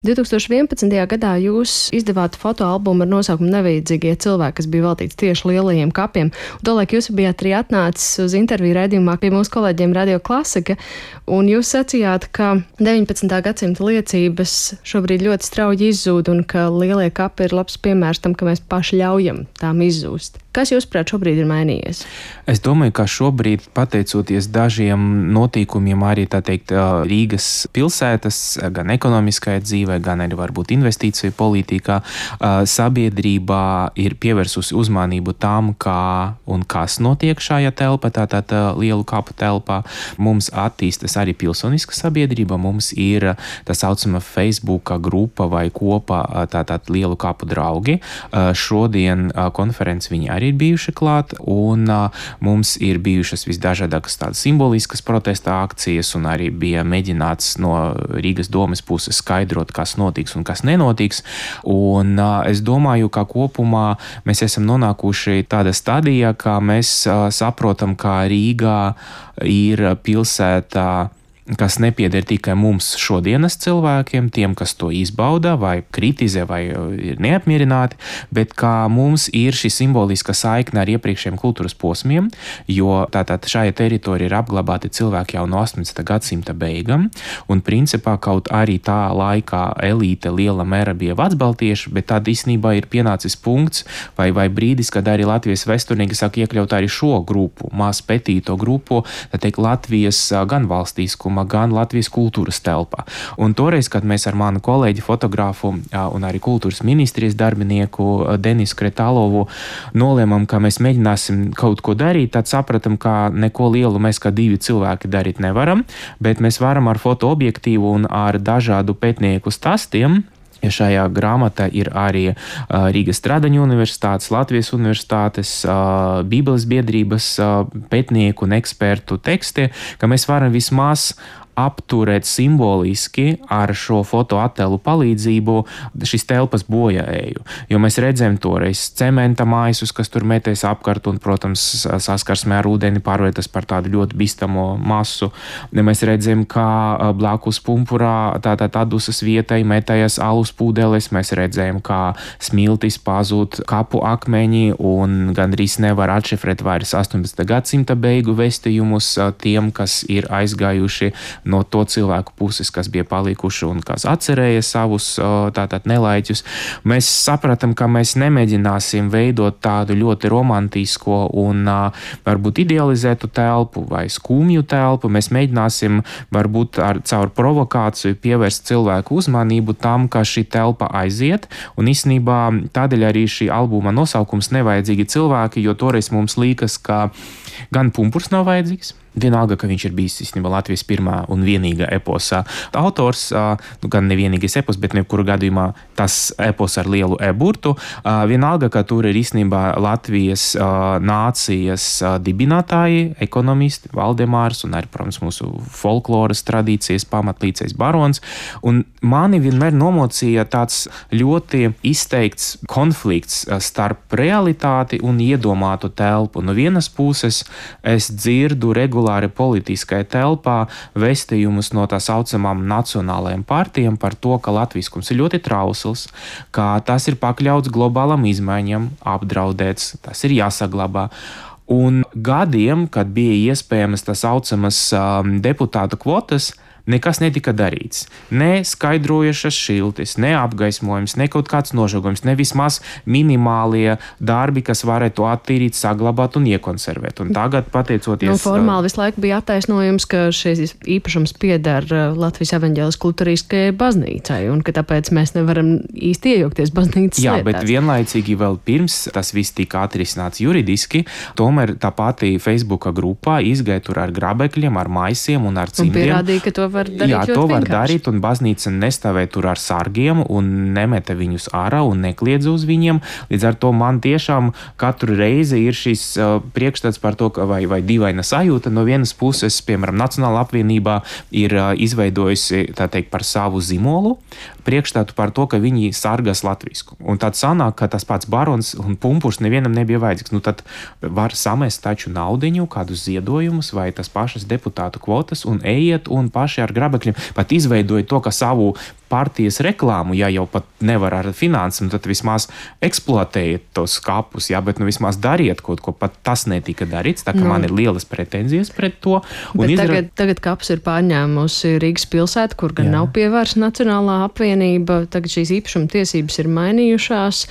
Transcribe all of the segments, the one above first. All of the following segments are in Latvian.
2011. gadā jūs izdevāt fotoalbumu ar nosaukumu Nevajadzīgie cilvēki, kas bija veltīts tieši lielajiem kapiem. Tolaik jūs bijāt arī atnācis uz interviju raidījumā pie mūsu kolēģiem Radio Klasika, un jūs sacījāt, ka 19. gadsimta liecības šobrīd ļoti strauji izzūd un ka lielie kapi ir labs piemērs tam, ka mēs paši ļaujam tām izzūst. Kas jūsuprāt šobrīd ir mainījies? Es domāju, ka šobrīd, pateicoties dažiem notikumiem, arī tā teikt Rīgas pilsētas, gan ekonomiskajā dzīvē, gan arī varbūt investīciju politikā, sabiedrībā ir pievērsusi uzmanību tam, kā un kas notiek šajā telpā, tātad lielu kapu telpā. Mums attīstas arī pilsoniska sabiedrība, mums ir tā saucama Facebooka grupa vai kopa, tātad lielu kapu draugi. Šodien konferences viņi arī ir bijuši klāt, un mums ir bijušas visdažādākas tādas simboliskas protesta akcijas, un arī bija mēģināts no Rīgas domes puses skaidrot, kas notiks un kas nenotiks. Un es domāju, ka kopumā mēs esam nonākuši tādā stadijā, ka mēs saprotam, ka Rīgā ir pilsētā, kas nepieder tikai mums šodienas cilvēkiem, tiem, kas to izbauda vai kritizē vai ir neapmierināti, bet kā mums ir šī simboliska saikne ar iepriekšējiem kultūras posmiem, jo tātad šajā teritorijā ir apglabāti cilvēki jau no 18. gadsimta beigām, un principā kaut arī tā laikā elīte liela mēra bija vecbaltieši, bet tad īstenībā ir pienācis punkts vai brīdis, kad arī Latvijas vēsturnieki sāk iekļaut arī šo grupu, maz petīto grupu, tā teikt Latvijas gan valstīskuma, gan Latvijas kultūras telpā. Un toreiz, kad mēs ar manu kolēģi fotografu un arī kultūras ministrijas darbinieku Denisu Kretālovu nolēmām, ka mēs mēģināsim kaut ko darīt, tad sapratam, ka neko lielu mēs kā divi cilvēki darīt nevaram, bet mēs varam ar fotoobjektīvu un ar dažādu pētnieku stāstiem. Šajā grāmatā ir arī Rīgas Stradaņu universitātes, Latvijas universitātes, Bībeles biedrības pētnieku un ekspertu teksti, ka mēs varam vismaz apturēt simboliski ar šo fotoattēlu palīdzību šīs telpas bojāēju. Jo mēs redzējām toreiz cementa maisus, kas tur metēs apkārt un, protams, saskarsmē ar ūdeni pārvērtas par tādu ļoti bīstamo masu. Mēs redzējām, kā blakus pumpurā tātad atdusas vietai metējas alus pūdeles. Mēs redzējām, kā smiltis pazūd kapu akmeņi un gandrīz nevar atšifrēt vairs 18. gadsimta beigu vēstījumus tiem, kas ir aizgājuši no to cilvēku puses, kas bija palikuši un kas atcerēja savus tātad nelaiķus. Mēs sapratām, ka mēs nemēģināsim veidot tādu ļoti romantisko un varbūt idealizētu telpu vai skumju telpu. Mēs mēģināsim varbūt caur provokāciju pievērst cilvēku uzmanību tam, ka šī telpa aiziet. Un īstenībā tādēļ arī šī albuma nosaukums Nevajadzīgi cilvēki, jo toreiz mums liekas, ka gan pumpurs nav vajadzīgs, vienalga, ka viņš ir bijis īstenībā Latvijas pirmā un vienīgā eposa autors, gan nevienīgais epos, bet nebkuru gadījumā tas epos ar lielu e-burtu. Vienalga, ka tur ir īstenībā Latvijas nācijas dibinātāji, ekonomisti, Valdemārs un arī, protams, mūsu folkloras tradīcijas pamatlīdzējs barons. Un mani vienmēr nomocīja tāds ļoti izteikts konflikts starp realitāti un iedomātu telpu. No vienas puses es dzirdu regulāri politiskajā telpā vēstījumus no tā saucamām nacionālajām partijām par to, ka latviskums ir ļoti trausls, ka tas ir pakļauts globālam izmaiņam, apdraudēts, tas ir jāsaglabā. Un gadiem, kad bija iespējamas tā saucamas deputātu kvotas, nekas netika darīts. Ne skaidrojušas šiltis, ne apgaismojums, ne kaut kāds nožogojums, ne vismaz minimālie darbi, kas varētu attīrīt, saglabāt un iekonservēt. Un tagad, pateicoties... Formāli visu laiku bija attaisnojums, ka šis īpašums pieder Latvijas evaņģēliskajai luteriskajai baznīcai, un ka tāpēc mēs nevaram īsti iejaukties baznīcas lietās. Jā, bet vienlaicīgi vēl pirms tas viss tika atrisināts juridiski, tomēr tā pati Facebooka grupā izgāja tur ar grabekļiem, ar maisiem un ar cimdiem. Un pierādīja, ka to var darīt. Jā, to var darīt, un baznīca nestāvēja tur ar sargiem un nemeta viņus ārā un nekliedza uz viņiem. Līdz ar to man tiešām katru reizi ir šis priekšstats par to, vai dīvaina sajūta. No vienas puses, piemēram, Nacionāla apvienībā ir izveidojusi, tā teikt, par savu zīmolu priekšstatu par to, ka viņi sargās latvisku. Un tad sanāk, ka tas pats barons un pumpurs nevienam nebija vajadzīgs. Tad var samest taču naudiņu, kādus ziedojumus vai tas pašas deputātu kvotas un ejiet un paši ar grabekļiem pat izveidojot to, ka savu partijas reklāmu, ja jau pat nevar ar finansam, tad vismaz eksploatējiet tos kapus, bet vismaz dariet kaut ko, pat tas netika darīts, tā ka man ir lielas pretenzijas pret to. Tagad kapus ir pārņēmusi Rīgas pilsēta, kur gan nav pievērsta Nacionālā apvienība, tagad šīs īpašuma tiesības ir mainījušās,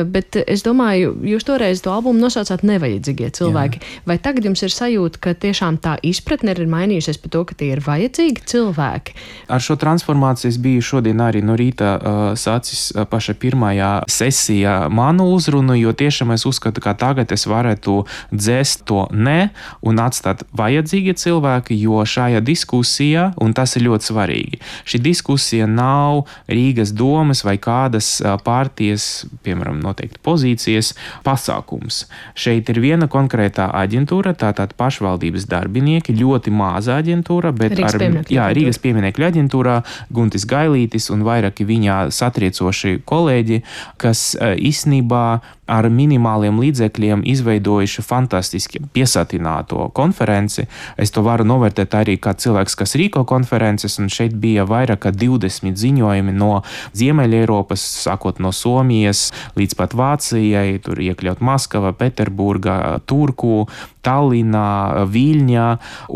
bet es domāju, jūs toreiz to albumu nosaucāt nevajadzīgie cilvēki. Vai tagad jums ir sajūta, ka tiešām tā izpratne ir mainījusies par to, ka tie ir vajadzīgi cilvēki? Ar šo transformāciju es biju šodien arī no rīta sācis paša pirmajā sesijā manu uzrunu, jo tiešām es uzskatu, ka tagad es varētu dzēst to ne un atstāt vajadzīgi cilvēki, jo šajā diskusijā, un tas ir ļoti svarīgi, šī diskusija nav Rīgas domas vai kādas partijas, piemēram, noteikti pozīcijas pasākums. Šeit ir viena konkrētā aģentūra, tātad pašvaldības darbinieki, ļoti maza aģentūra, bet Rīgas pieminekļu aģentūrā Guntis Gailītis un vairāki viņā satriecoši kolēģi, kas īstenībā ar minimāliem līdzekļiem izveidojuši fantastiski piesatināto konferenci. Es to varu novērtēt arī kā cilvēks, kas rīko konferences, un šeit bija vairāk kā 20 ziņojumi no Ziemeļa Eiropas, sākot no Somijas līdz pat Vācijai, tur iekļaut Maskava, Peterburga, Turku, Tallinā, Viļņā,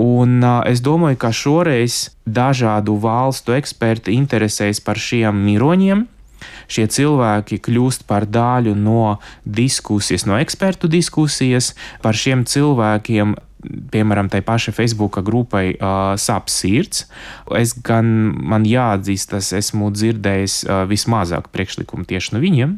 un es domāju, ka šoreiz dažādu valstu eksperti interesēs par šiem miroņiem. Šie cilvēki kļūst par daļu no diskusijas, no ekspertu diskusijas. Par šiem cilvēkiem, piemēram, tai paša Facebooka grupai sāp sirds. Man jāatzīst, esmu dzirdējis vismazāk priekšlikumu tieši no viņiem.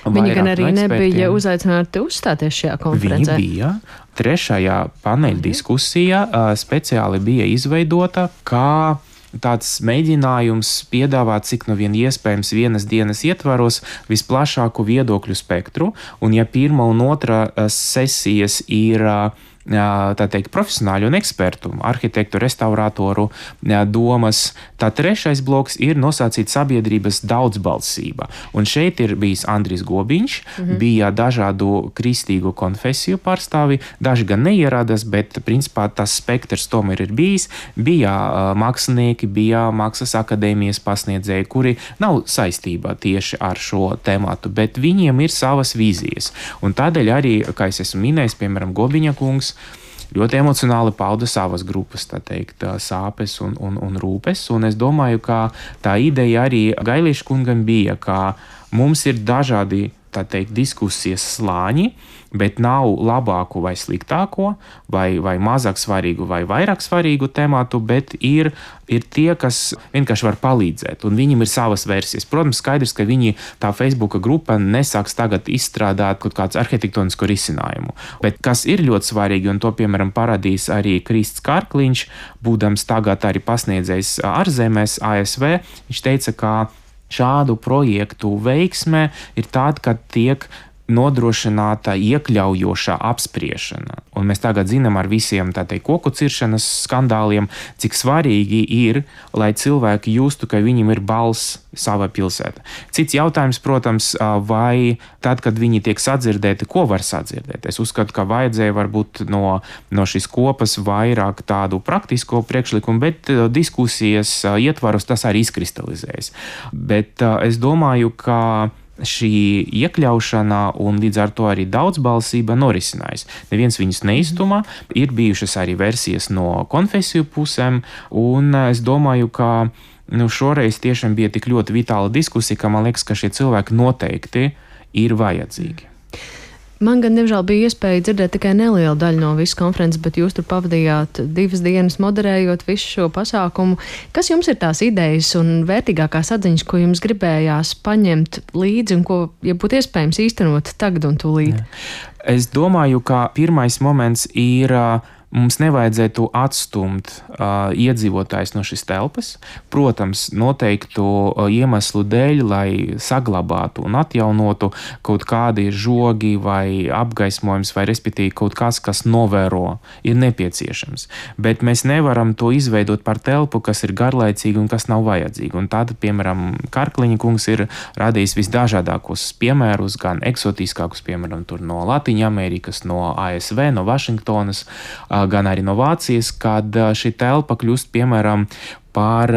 Viņi gan arī nebija uzaicināti uzstāties šajā konferencē. Viņi bija. Trešajā paneļa diskusijā speciāli bija izveidota, kā tāds mēģinājums piedāvāt, cik no vien iespējams vienas dienas ietvaros visplašāku viedokļu spektru, un ja pirmā un otrā sesijas ir tā teikt, profesionāļu un ekspertu, arhitektu, restauratoru domas. Tā trešais bloks ir nosacīt sabiedrības daudzbalsība. Un šeit ir bijis Andris Gobiņš, bija dažādu kristīgu konfesiju pārstāvi, daži gan neieradās, bet principā tas spektrs tomēr ir bijis. Bija mākslinieki, bija Mākslas akadēmijas pasniedzēji, kuri nav saistībā tieši ar šo tematu, bet viņiem ir savas vīzijas. Un tādēļ arī, kā es esmu minējis, piemēram, Gobiņa kungs, ļoti emocionāli pauda savas grupas, tā teikt, sāpes un rūpes. Un es domāju, ka tā ideja arī Gailīša kungam bija, ka mums ir dažādi, tā teikt, diskusijas slāņi, bet nav labāku vai sliktāko, vai mazāk svarīgu vai vairāk svarīgu tematu, bet ir tie, kas vienkārši var palīdzēt, un viņiem ir savas versijas. Protams, skaidrs, ka viņi, tā Facebooka grupa, nesāks tagad izstrādāt kaut kāds arhitektonisko risinājumu. Bet kas ir ļoti svarīgi, un to, piemēram, parādīs arī Krists Karkliņš, būdams tagad arī pasniedzējs ārzemēs, ASV, viņš teica, ka šādu projektu veiksme ir tāda, ka tiek nodrošināta iekļaujošā apspriešana. Un mēs tagad zinām ar visiem koku ciršanas skandāliem, cik svarīgi ir, lai cilvēki justu, ka viņiem ir balss sava pilsēta. Cits jautājums, protams, vai tad, kad viņi tiek sadzirdēti, ko var sadzirdēt? Es uzskatu, ka vajadzēja varbūt no šīs kopas vairāk tādu praktisko priekšlikumu, bet diskusijas ietvaros tas arī izkristalizējas. Bet es domāju, ka šī iekļaušana un līdz ar to arī daudzbalsība norisinājās. Neviens viņus neiztumā, ir bijušas arī versijas no konfesiju pusēm, un es domāju, ka šoreiz tiešām bija tik ļoti vitāla diskusija, ka man liekas, ka šie cilvēki noteikti ir vajadzīgi. Man gan, diemžēl, bija iespēja dzirdēt tikai nelielu daļu no visas konferences, bet jūs tur pavadījāt 2 dienas moderējot visu šo pasākumu. Kas jums ir tās idejas un vērtīgākās atziņas, ko jums gribējās paņemt līdzi un ko, ja būtu iespējams, īstenot tagad un tūlīt? Es domāju, ka pirmais moments ir mums nevajadzētu atstumt iedzīvotājus no šīs telpas. Protams, noteiktu iemeslu dēļ, lai saglabātu un atjaunotu kaut kādi žogi vai apgaismojums, vai respektīvi kaut kas, kas novēro, ir nepieciešams. Bet mēs nevaram to izveidot par telpu, kas ir garlaicīga un kas nav vajadzīga. Un tad, piemēram, Karkliņa kungs ir radījis visdažādākos piemērus, gan eksotiskākus, piemēram, tur no Latīņa Amerikas, no ASV, no Vašingtonas, gan arī no Vācijas, kad šī telpa kļūst, piemēram, par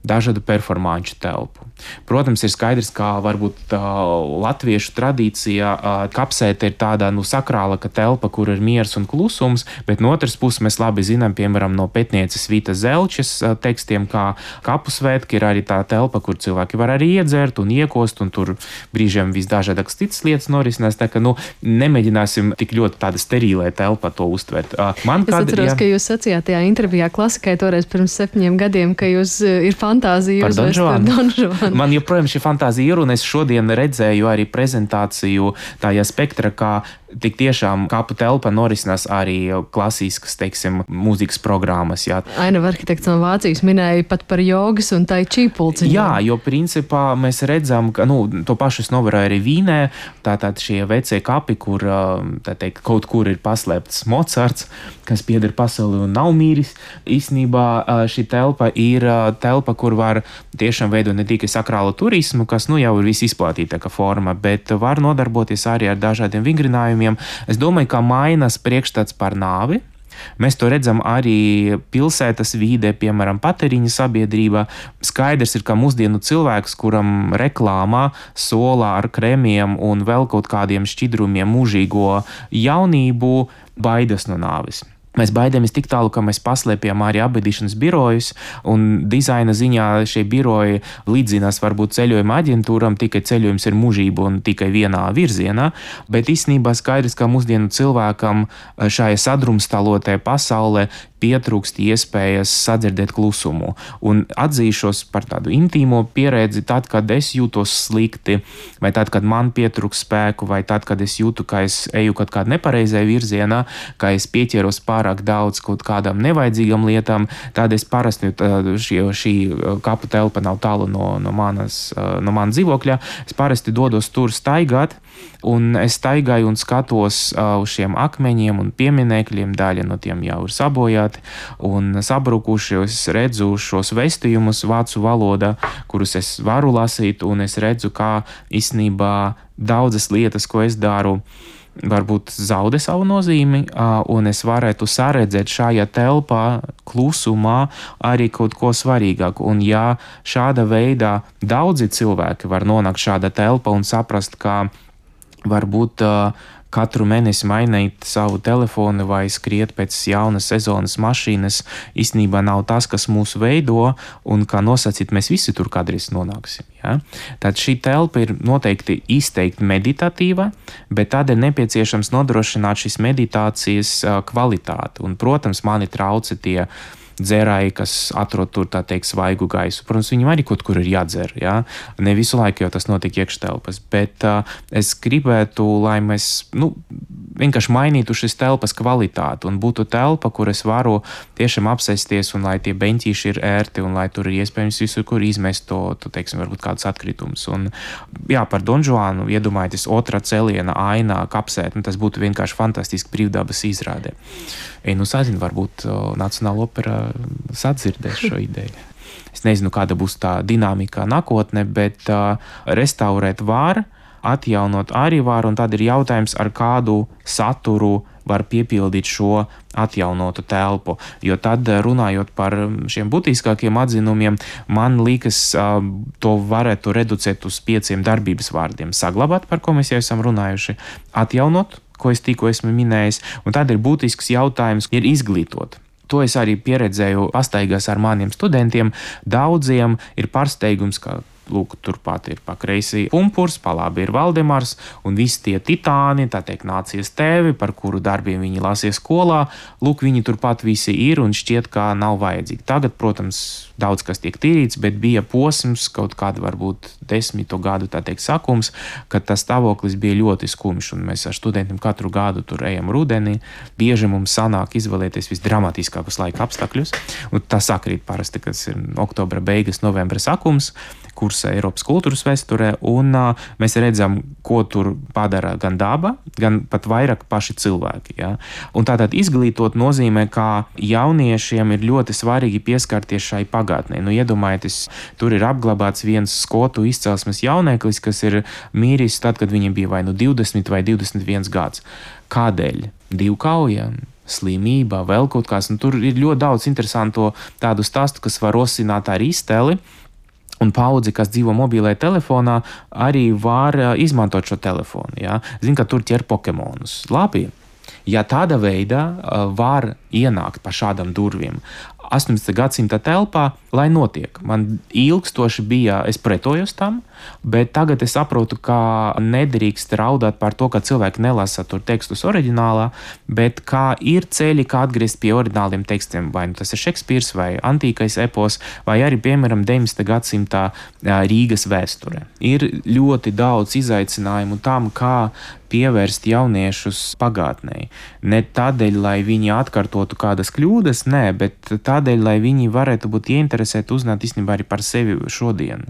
dažādu performanču telpu. Protams, ir skaidrs, ka varbūt latviešu tradīcijā kapsēta ir tāda sakrālāka telpa, kur ir miers un klusums, bet no otras puses mēs labi zinām, piemēram, no pētnieces Vītas Zelčes tekstiem, kā kapu svētki ir arī tā telpa, kur cilvēki var arī iedzert un iekost, un tur brīžiem visdažādākas citas lietas norisinās, tā ka nemēģināsim tik ļoti tāda sterilē telpa to uztvert. Es atceros, ka jūs sacījāt tajā intervijā Klasikai toreiz pirms 7 gadiem, ka jūs ir fantāzija uzvest par Don Juanu. Man joprojām šī fantāzija ir, un es šodien redzēju arī prezentāciju tajā spektra, kā tik tiešām kapu telpa norisinās arī klasiskas, teiksim, mūzikas programmas. Jā. Ainava arhitekts no Vācijas minēja pat par jogas un tai čī pulciņu. Jā, jo principā mēs redzam, ka to pašu es novēroju arī Vīnē, tātad šie vecie kapi, kur kaut kur ir paslēpts Mocarts, kas pieder pasauli un nav mīris. Īsnībā šī telpa ir telpa, kur var tiešām veidot ne tikai sakrālu turismu, kas jau ir visizplatītākā forma, bet var nodarboties arī ar dažādiem vingrinājumiem. Es domāju, ka mainās priekšstats par nāvi. Mēs to redzam arī pilsētas vīdē, piemēram, patēriņa sabiedrībā. Skaidrs ir, ka mūsdienu cilvēks, kuram reklāmā solā ar kremiem un vēl kaut kādiem šķidrumiem mūžīgo jaunību, baidas no nāves. Mēs baidāmies tik tālu, ka mēs paslēpjam arī apbedīšanas birojus, un dizaina ziņā šie biroji līdzinās varbūt ceļojuma aģentūram, tikai ceļojums ir mūžība un tikai vienā virzienā, bet īstenībā skaidrs, ka mūsdienu cilvēkam šajā sadrumstalotajā pasaulē pietrūkst iespējas sadzirdēt klusumu. Un atzīšos par tādu intīmo pieredzi, tad, kad es jūtos slikti, vai tad, kad man pietrūkst spēku, vai tad, kad es jūtu, ka es eju kaut kādā nepareizajā virzienā, ka es pieķeros pārāk daudz kaut kādām nevajadzīgām lietām, tad es parasti, šī kapu telpa nav tālu no manas dzīvokļa, es parasti dodos tur staigāt, un es staigāju un skatos uz šiem akmeņiem un pieminekļiem, daļa no tiem jau ir sabojāti un sabrukuši. Es redzu šos vēstījumus vācu valodā, kurus es varu lasīt, un es redzu, kā īstenībā daudzas lietas, ko es daru, varbūt zaudē savu nozīmi, un es varētu saredzēt šajā telpā, klusumā, arī kaut ko svarīgāku. Un ja šāda veidā daudzi cilvēki var nonākt šāda telpa un saprast, ka varbūt katru mēnesi mainīt savu telefonu vai skriet pēc jaunas sezonas mašīnas īstenībā nav tas, kas mūs veido, un kā nosacīt, mēs visi tur kādreiz nonāksim. Ja? Tad šī telpa ir noteikti izteikti meditatīva, bet tad ir nepieciešams nodrošināt šīs meditācijas kvalitāti. Un, protams, mani trauca tie dzērāji, kas atrod tur, tā teikt, svaigu gaisu. Protams, viņam arī kaut kur ir jādzer, jā. Ne visu laiku jau tas notiek iekštelpas, bet es gribētu, lai mēs, vienkārši mainītu šis telpas kvalitāti un būtu telpa, kur es varu tiešām apsēsties un lai tie beņķīši ir ērti un lai tur ir iespējams visur, kur izmest to teiksim, varbūt kādus atkritumus. Un, jā, par Don Juanu iedomājieties otrā celiena ainā kapsēt, tas būtu vienkārši fantastiski brīvdabas izrādē. Sazinu, varbūt Nacionāla opera sadzirdēs šo ideju. Es nezinu, kāda būs tā dinamika nākotnē, bet restaurēt var, atjaunot arī var, un tad ir jautājums, ar kādu saturu var piepildīt šo atjaunotu telpu. Jo tad, runājot par šiem būtiskākiem atzinumiem, man liekas, to varētu reducēt uz 5 darbības vārdiem. Saglabāt, par ko mēs jau esam runājuši, atjaunot, ko es tikko esmu minējis, un tad ir būtisks jautājums, ir izglītot. To es arī pieredzēju pastaigās ar maniem studentiem. Daudziem ir pārsteigums, ka lūk, turpat ir pa kreisi Pumpurs, pa labi ir Valdemars, un visi tie titāni, tā teikt, nācies tēvi, par kuru darbiem viņi lasīja skolā, lūk, viņi turpat visi ir un šķiet, kā nav vajadzīgi. Tagad, protams, daudz kas tiek tīrīts, bet bija posms, kaut kāda varbūt 10 gadu, tā teikt, sakums, kad tas stāvoklis bija ļoti skumjš, un mēs ar studentiem katru gadu tur ejam rudenī. Bieži mums sanāk izvēlēties visdramatiskākos laika apstākļus, un tas sakrīt parasti, kas ir oktobra beigas, novembra sakums, kursā Eiropas kultūras vēsturē, un mēs redzam, ko tur padara gan daba, gan pat vairāk paši cilvēki. Ja? Un tātad izglītot nozīmē, ka jauniešiem ir ļoti svarīgi pieskarties šai pagātnē. Nu, iedomājieties, tur ir apglabāts viens skotu izcelsmes jauneklis, kas ir mīris tad, kad viņam bija vai nu 20 vai 21 gads. Kādēļ? Divkauja, slimība, vēl kaut kas. Un tur ir ļoti daudz interesantu tādu stāstu, kas var rosināt ar iztēli. Un paudzi, kas dzīvo mobilajā telefonā, arī var izmantot šo telefonu. Ja? Zin, ka tur ķer Pokemonus. Labi, ja tāda veidā var ienākt pa šādam durvīm 18. gadsimta telpā, lai notiek. Man ilgstoši bija, es pretojos tam, bet tagad es saprotu, ka nedrīkst raudāt par to, ka cilvēki nelasa tur tekstus oriģinālā, bet kā ir ceļi, kā atgriezt pie oriģināliem tekstiem, vai nu tas ir Šekspīrs, vai antīkais epos, vai arī, piemēram, 19. gadsimta Rīgas vēsture. Ir ļoti daudz izaicinājumu tam, kā pievērst jauniešus pagātnē. Ne tādēļ, lai viņi atkārtotu kādas kļūdas, nē, bet tādēļ, lai viņi varētu būt ieinteresēti uzzināt īstenībā arī par sevi šodien.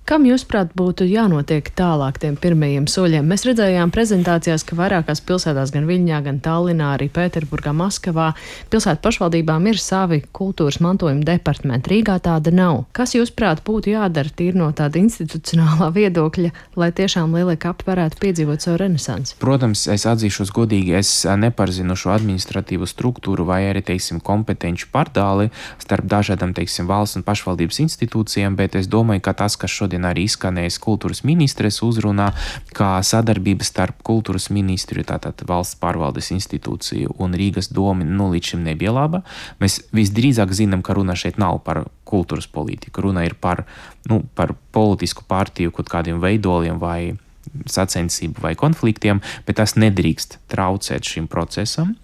Kam, jūsuprāt, būtu jānotiek tālāk tiem pirmajiem soļiem? Mēs redzējām prezentācijās, ka vairākās pilsētās, gan Viļņā, gan Tallinā, arī Pēterburgā, Maskavā, pilsētu pašvaldībām ir savi kultūras mantojuma departamenti. Rīgā tāda nav. Kas, jūsuprāt, būtu jādara tīri no tāda institucionālā viedokļa, lai tiešām lielie kapi varētu piedzīvot savu renesansi? Protams, es atzīšos godīgi, es nepazinu šo administratīvu struktūru vai arī, teiksim, kompetenci pārdali starp dažādām, teiksim, valsts un pašvaldības institūcijām, bet es domāju, ka tas, kas šodien arī izskanējis kultūras ministres uzrunā, kā sadarbība starp kultūras ministriju, tātad valsts pārvaldes institūciju un Rīgas domi, līdz šim nebija laba. Mēs visdrīzāk zinām, ka runa šeit nav par kultūras politiku, runa ir par politisku partiju kaut kādiem veidoliem vai sacensību vai konfliktiem, bet tas nedrīkst traucēt šim procesam.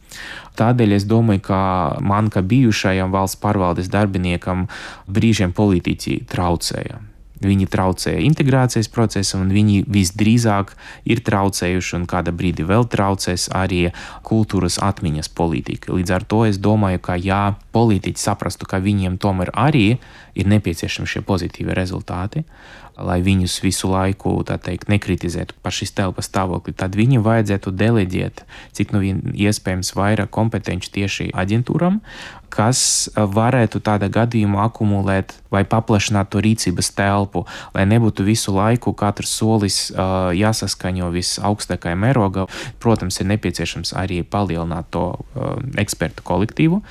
Tādēļ es domāju, ka man, kā bijušajam valsts pārvaldes darbiniekam, brīžiem politiķi traucēja. Viņi traucēja integrācijas procesam, un viņi visdrīzāk ir traucējuši un kāda brīdi vēl traucēs arī kultūras atmiņas politika. Līdz ar to es domāju, ka ja politiķi saprastu, ka viņiem tomēr arī ir nepieciešami šie pozitīvi rezultāti, lai viņus visu laiku, tā teikt, nekritizētu par šīs telpas stāvokli, tad viņiem vajadzētu deleģēt, cik nu iespējams vairāk kompetenci tieši aģentūram, kas varētu tādā gadījumā akumulēt vai paplašināt to rīcības telpu, lai nebūtu visu laiku katrs solis jāsaskaņo visaugstākajā mērogā. Protams, ir nepieciešams arī palielināt to ekspertu kolektīvu.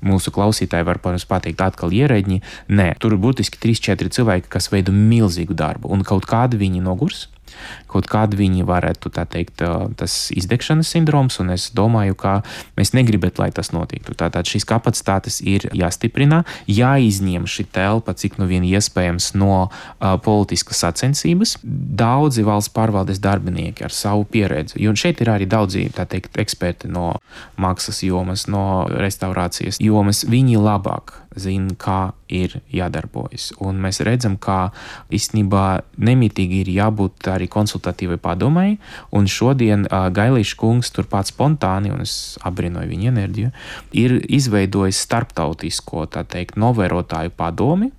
Mūsu klausītāji var, protams, pateikt atkal ierēģi. Nē, tur ir būtiski 3-4 cilvēki, kas veido milzīgu darbu, un kaut kādi viņi nogurs. Kaut kādi viņi varētu, tā teikt, tas izdegšanas sindroms, un es domāju, ka mēs negribētu, lai tas notiktu. Tātad šīs kapacitātes ir jāstiprina, jāizņem šī telpa, cik nu vien iespējams no politiskas sacensības. Daudzi valsts pārvaldes darbinieki ar savu pieredzi, jo šeit ir arī daudzi, tā teikt, eksperti no mākslas jomas, no restaurācijas jomas, viņi labāk zina, kā ir jādarbojas. Un mēs redzam, ka īstenībā nemitīgi ir jābūt arī konsultatīvai padomai, un šodien Gailīša kungs turpat spontāni, un es abrinoju viņa enerģiju, ir izveidojis starptautisko, tā teikt, novērotāju padomi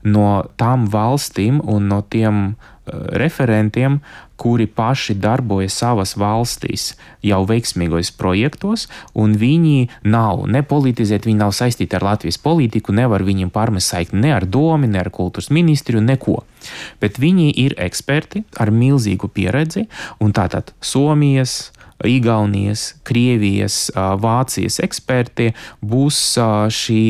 no tām valstīm un no tiem referentiem, kuri paši darbojas savas valstīs jau veiksmīgos projektos, un viņi nav nepolitizēti, viņi nav saistīti ar Latvijas politiku, nevar viņiem pārmest saikni ne ar domi, ne ar kultūras ministriju, neko. Bet viņi ir eksperti ar milzīgu pieredzi, un tātad Somijas, Igaunijas, Krievijas, Vācijas eksperti būs šī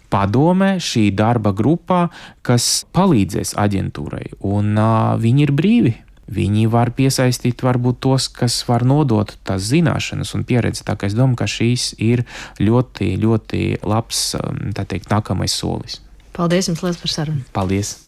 padome, šī darba grupā, kas palīdzēs aģentūrai, un viņi ir brīvi. Viņi var piesaistīt varbūt tos, kas var nodot tās zināšanas un pieredzi. Tā kā es domāju, ka šīs ir ļoti, ļoti labs, tā teikt, nākamais solis. Paldies jums liels par sarunu. Paldies!